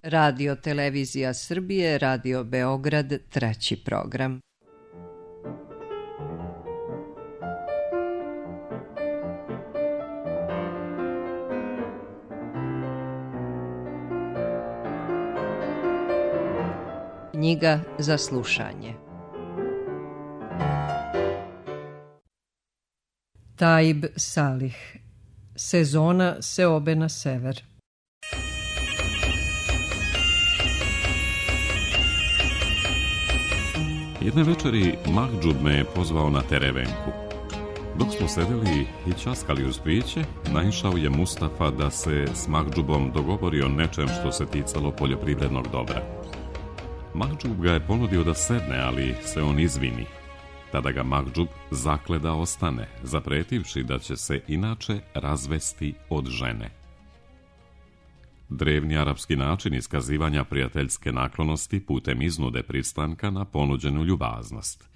Radio Televizija Srbije, Radio Beograd, 3. program. Knjiga za slušanje. Taib Salih. Sezona seobe na sever. Jedne večeri Mahdžub me je pozvao na terevenku. Dok smo sedeli i časkali uz piće, naišao je Mustafa da se s Mahdžubom dogovori o nečem što se ticalo poljoprivrednog dobra. Mahdžub ga je ponudio da sedne, ali se on izvini. Tada ga Mahdžub zakle da ostane, zapretivši da će se inače razvesti od žene. Drevni arapski način iskazivanja prijateljske naklonosti putem iznude pristanka na ponuđenu ljubaznost.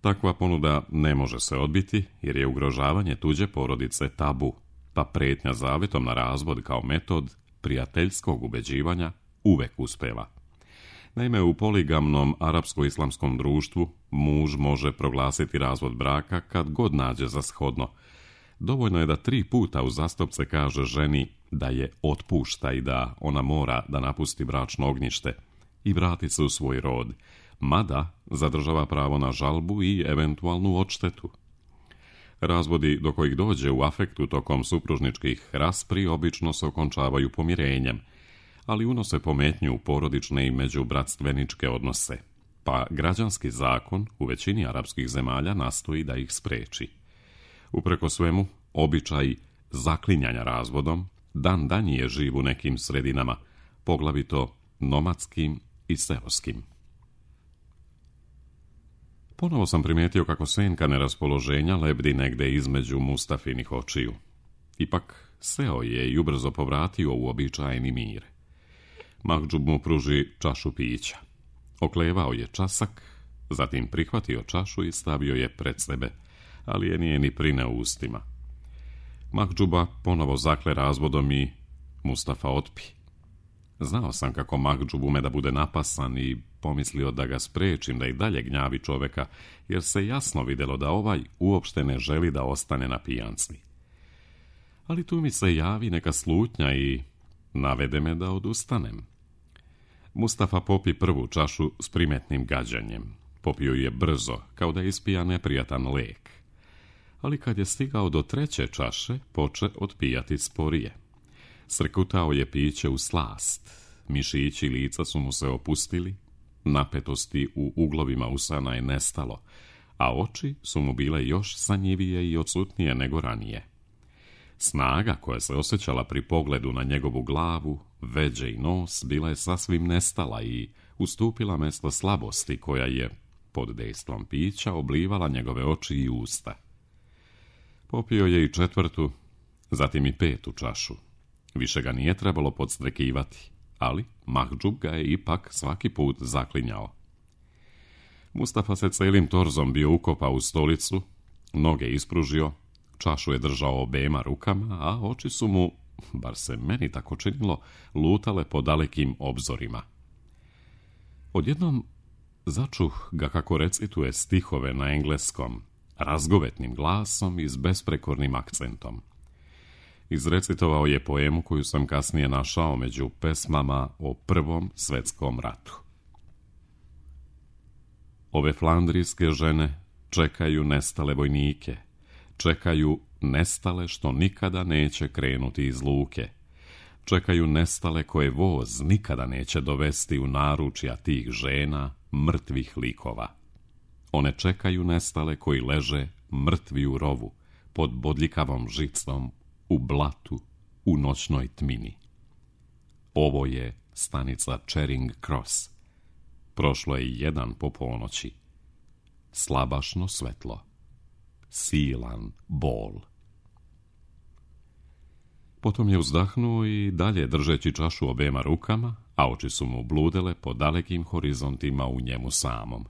Takva ponuda ne može se odbiti jer je ugrožavanje tuđe porodice tabu, pa pretnja zavetom na razvod kao metod prijateljskog ubeđivanja uvek uspeva. Naime, u poligamnom arapsko-islamskom društvu muž može proglasiti razvod braka kad god nađe za shodno. Dovoljno je da 3 puta uzastopce kaže ženi da je otpušta i da ona mora da napusti bračno ognjište i vrati se u svoj rod, mada zadržava pravo na žalbu i eventualnu odštetu. Razvodi do kojih dođe u afektu tokom supružničkih raspri obično se okončavaju pomirenjem, ali unose pometnju u porodične i međubratstveničke odnose, pa građanski zakon u većini arapskih zemalja nastoji da ih spreči. Upreko svemu, običaj zaklinjanja razvodom dan je živ u nekim sredinama, poglavito nomadskim i seoskim. Ponovo sam primijetio kako senka neraspoloženja lebdi negde između Mustafinih očiju. Ipak seo je i ubrzo povratio u običajni mir. Mahdžub mu pruži čašu pića. Oklevao je časak, zatim prihvatio čašu i stavio je pred sebe, ali je nije ni prineo ustima. Mahdžuba ponovo zakle razvodom i Mustafa otpi. Znao sam kako Mahdžub ume da bude napasan i pomislio da ga sprečim da i dalje gnjavi čoveka, jer se jasno vidjelo da ovaj uopšte ne želi da ostane na pijanci. Ali tu mi se javi neka slutnja i navede me da odustanem. Mustafa popi prvu čašu s primetnim gađanjem. Popio je brzo, kao da ispija neprijatan lek. Ali kad je stigao do 3. čaše, poče otpijati sporije. Srkutao je piće u slast. Mišići lica su mu se opustili, napetosti u uglovima usana je nestalo, a oči su mu bile još sanjivije i odsutnije nego ranije. Snaga koja se osjećala pri pogledu na njegovu glavu, veđe i nos bila je sasvim nestala i ustupila mesto slabosti koja je, pod dejstvom pića, oblivala njegove oči i usta. Popio je i 4., zatim i 5. čašu. Više ga nije trebalo podstrekivati, ali Mahdžub ga je ipak svaki put zaklinjao. Mustafa se celim torzom bio ukopao u stolicu, noge ispružio, čašu je držao obema rukama, a oči su mu, bar se meni tako činilo, lutale po dalekim obzorima. Odjednom začuh ga kako recituje stihove na engleskom, razgovetnim glasom i s besprekornim akcentom. Izrecitovao je poemu koju sam kasnije našao među pesmama o Prvom svetskom ratu. Ove flandrijske žene čekaju nestale vojnike, čekaju nestale što nikada neće krenuti iz luke, čekaju nestale koje voz nikada neće dovesti u naručja tih žena mrtvih likova. One čekaju nestale koji leže mrtvi u rovu, pod bodljikavom žicom, u blatu, u noćnoj tmini. Ovo je stanica Charing Cross. Prošlo je 1 po ponoći. Slabašno svetlo. Silan bol. Potom je uzdahnuo i dalje držeći čašu obema rukama, a oči su mu bludele po dalekim horizontima u njemu samom.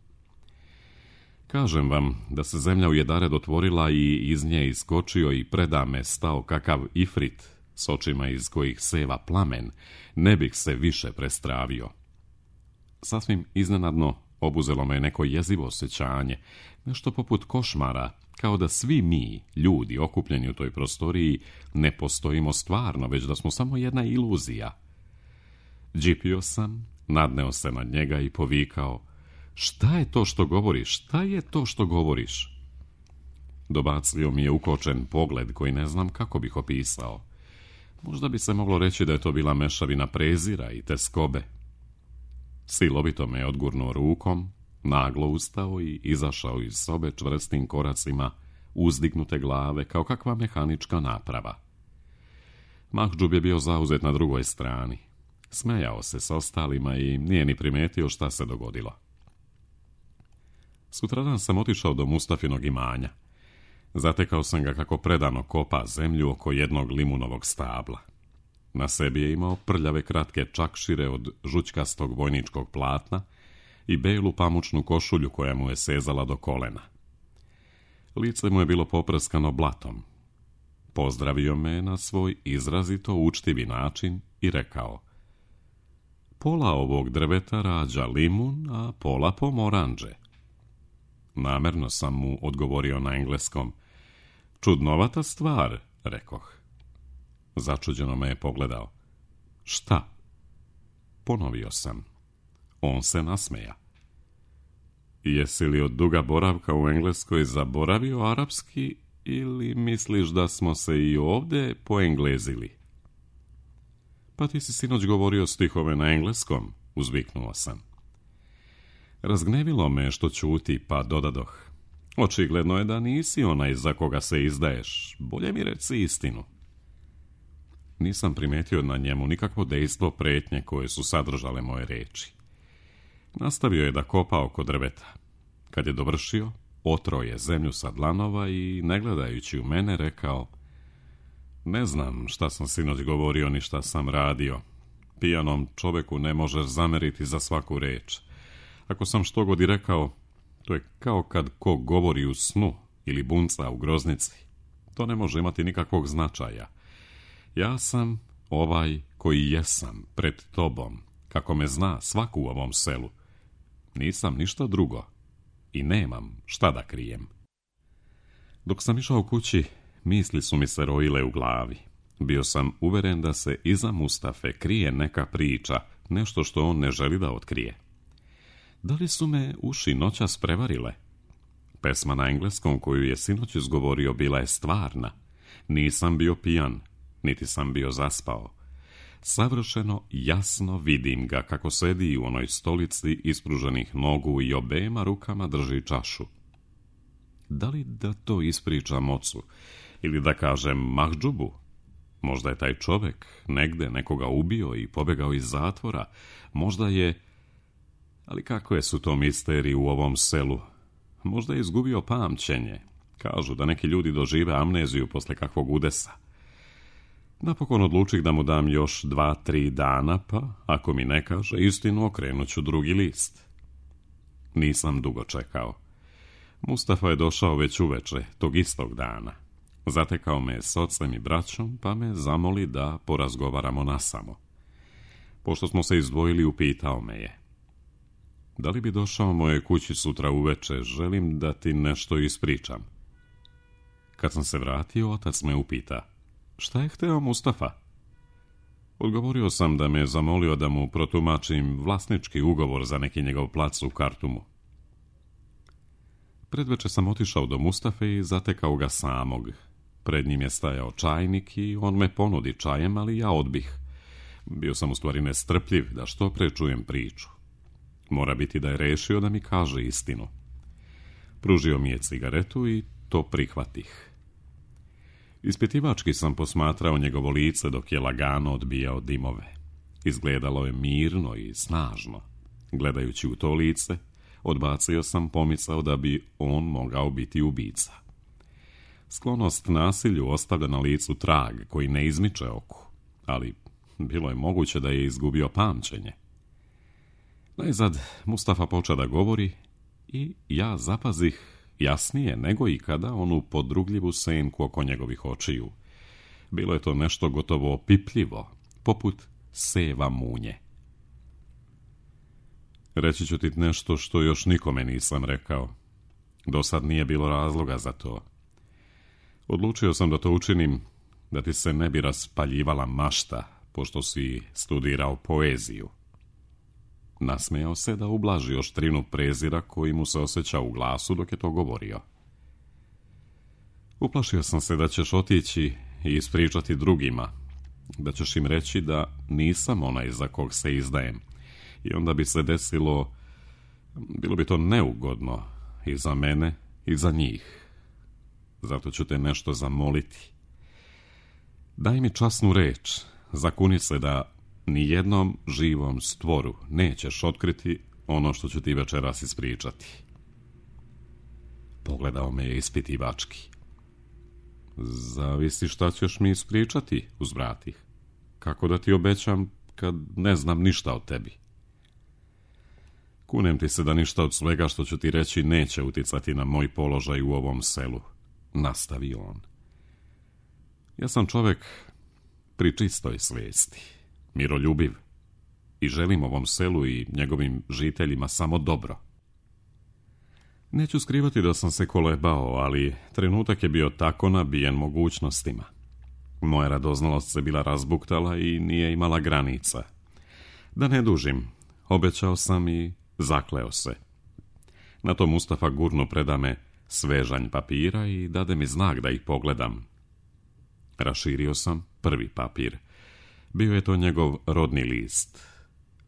Kažem vam da se zemlja u jedared otvorila i iz nje iskočio i predame stao kakav ifrit s očima iz kojih seva plamen, ne bih se više prestravio. Sasvim iznenadno obuzelo me neko jezivo osjećanje, nešto poput košmara, kao da svi mi, ljudi okupljeni u toj prostoriji, ne postojimo stvarno, već da smo samo jedna iluzija. Džipio sam, nadneo se nad njega i povikao: "Šta je to što govoriš? Šta je to što govoriš?" Dobacio mi je ukočen pogled koji ne znam kako bih opisao. Možda bi se moglo reći da je to bila mešavina prezira i teskobe. Silovito me je odgurnuo rukom, naglo ustao i izašao iz sobe čvrstim koracima uzdignute glave kao kakva mehanička naprava. Mahdžub je bio zauzet na drugoj strani. Smejao se s ostalima i nije ni primetio šta se dogodilo. Sutradan sam otišao do Mustafinog imanja. Zatekao sam ga kako predano kopa zemlju oko jednog limunovog stabla. Na sebi je imao prljave kratke čakšire od žućkastog vojničkog platna i belu pamučnu košulju koja mu je sezala do kolena. Lice mu je bilo poprskano blatom. Pozdravio me na svoj izrazito učtivi način i rekao: "Pola ovog drveta rađa limun, a pola pomoranđe." Namerno sam mu odgovorio na engleskom. "Čudnovata stvar," rekoh. Začuđeno me je pogledao. "Šta?" Ponovio sam. On se nasmeja. "Jesi li od duga boravka u Engleskoj zaboravio arapski ili misliš da smo se i ovdje poenglezili?" "Pa ti si sinoć govorio stihove na engleskom," uzviknuo sam. Razgnevilo me što ćuti, pa dodadoh: "Očigledno je da nisi onaj za koga se izdaješ. Bolje mi reci istinu." Nisam primetio na njemu nikakvo dejstvo pretnje koje su sadržale moje reči. Nastavio je da kopa oko drveta. Kad je dovršio, otrao je zemlju sa dlanova i, ne gledajući u mene, rekao: "Ne znam šta sam sinoć govorio ni šta sam radio. Pijanom čoveku ne možeš zameriti za svaku reč. Ako sam što god i rekao, to je kao kad ko govori u snu ili bunca u groznici. To ne može imati nikakvog značaja. Ja sam ovaj koji jesam pred tobom, kako me zna svaku u ovom selu. Nisam ništa drugo i nemam šta da krijem." Dok sam išao kući, misli su mi se rojile u glavi. Bio sam uveren da se iza Mustafe krije neka priča, nešto što on ne želi da otkrije. Da li su me uši noćas prevarile? Pesma na engleskom koju je sinoć izgovorio bila je stvarna. Nisam bio pijan, niti sam bio zaspao. Savršeno jasno vidim ga kako sedi u onoj stolici ispruženih nogu i obema rukama drži čašu. Da li da to ispričam ocu ili da kažem Mahdžubu? Možda je taj čovjek negde nekoga ubio i pobegao iz zatvora. Možda je... Ali kakve su to misterije u ovom selu? Možda je izgubio pamćenje. Kažu da neki ljudi dožive amneziju posle kakvog udesa. Napokon odlučih da mu dam još 2-3 dana, pa ako mi ne kaže istinu, okrenut ću drugi list. Nisam dugo čekao. Mustafa je došao već uveče, tog istog dana. Zatekao me s ocem i braćom, pa me zamoli da porazgovaramo nasamo. Pošto smo se izdvojili, upitao me je: "Da li bi došao moje kući sutra uveče, želim da ti nešto ispričam." Kad sam se vratio, otac me upita: "Šta je hteo Mustafa?" Odgovorio sam da me zamolio da mu protumačim vlasnički ugovor za neki njegov plac u Kartumu. Predveče sam otišao do Mustafe i zatekao ga samog. Pred njim je stajao čajnik i on me ponudi čajem, ali ja odbih. Bio sam u stvari nestrpljiv da što pre čujem priču. Mora biti da je rešio da mi kaže istinu. Pružio mi je cigaretu i to prihvatih. Ispitivački sam posmatrao njegovo lice dok je lagano odbijao dimove. Izgledalo je mirno i snažno. Gledajući u to lice, odbacio sam pomisao da bi on mogao biti ubica. Sklonost nasilju ostavlja na licu trag koji ne izmiče oku, ali bilo je moguće da je izgubio pamćenje. Najzad Mustafa počeo da govori i ja zapazih jasnije nego ikada onu podrugljivu senku oko njegovih očiju. Bilo je to nešto gotovo opipljivo, poput seva munje. Reći ću ti nešto što još nikome nisam rekao. Do sad nije bilo razloga za to. Odlučio sam da to učinim, da ti se ne bi raspaljivala mašta, pošto si studirao poeziju. Nasmejao se da ublaži oštrinu prezira koji mu se osjeća u glasu dok je to govorio. Uplašio sam se da ćeš otići i ispričati drugima, da ćeš im reći da nisam onaj za kog se izdajem. I onda bi se desilo, bilo bi to neugodno i za mene i za njih. Zato ću te nešto zamoliti. Daj mi časnu reč, zakuni se da ni jednom živom stvoru nećeš otkriti ono što ću ti večeras ispričati. Pogledao me je ispitivački. Zavisi šta ćeš mi ispričati, uzvratih. Kako da ti obećam kad ne znam ništa o tebi? Kunem ti se da ništa od svega što ću ti reći neće uticati na moj položaj u ovom selu, nastavio on. Ja sam čovjek pri čistoj svijesti, miroljubiv i želim ovom selu i njegovim žiteljima samo dobro. Neću skrivati da sam se kolebao, ali trenutak je bio tako nabijen mogućnostima. Moja radoznalost se bila razbuktala i nije imala granica. Da ne dužim, obećao sam i zakleo se. Na to Mustafa gurno preda me svežanj papira i dade mi znak da ih pogledam. Raširio sam prvi papir. Bio je to njegov rodni list.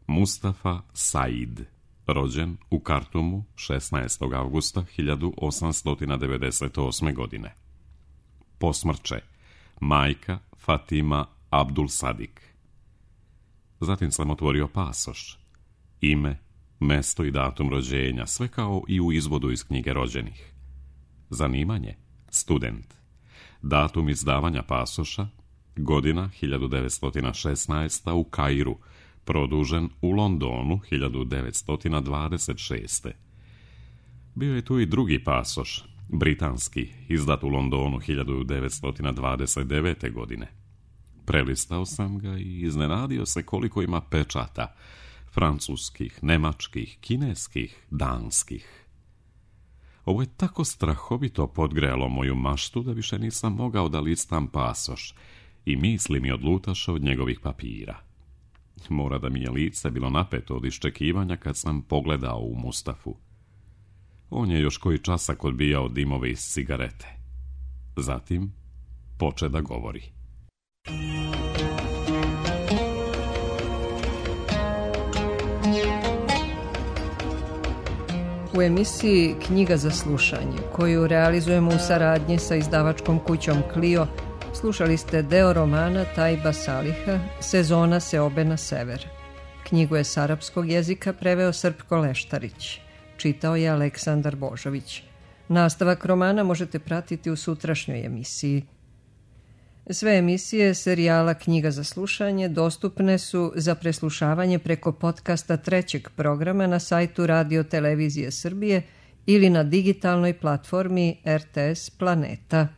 Mustafa Said, rođen u Kartumu 16. avgusta 1898. godine. Posmrće, majka Fatima Abdul Sadik. Zatim sam otvorio pasoš. Ime, mesto i datum rođenja, sve kao i u izvodu iz knjige rođenih. Zanimanje, student. Datum izdavanja pasoša, godina 1916. u Kairu, produžen u Londonu 1926. Bio je tu i drugi pasoš, britanski, izdat u Londonu 1929. godine. Prelistao sam ga i iznenadio se koliko ima pečata, francuskih, nemačkih, kineskih, danskih. Ovo je tako strahovito podgrejalo moju maštu da više nisam mogao da listam pasoš i misli mi odlutaše od njegovih papira. Mora da mi je lice bilo napeto od iščekivanja kad sam pogledao u Mustafu. On je još koji časak odbijao dimove iz cigarete. Zatim poče da govori. U emisiji Knjiga za slušanje, koju realizujemo u saradnji sa izdavačkom kućom Clio, slušali ste deo romana Tajba Saliha Sezona seobe na sever. Knjigu je s arapskog jezika preveo Srpko Leštarić. Čitao je Aleksandar Božović. Nastavak romana možete pratiti u sutrašnjoj emisiji. Sve emisije serijala Knjiga za slušanje dostupne su za preslušavanje preko podcasta trećeg programa na sajtu Radio Televizije Srbije ili na digitalnoj platformi RTS Planeta.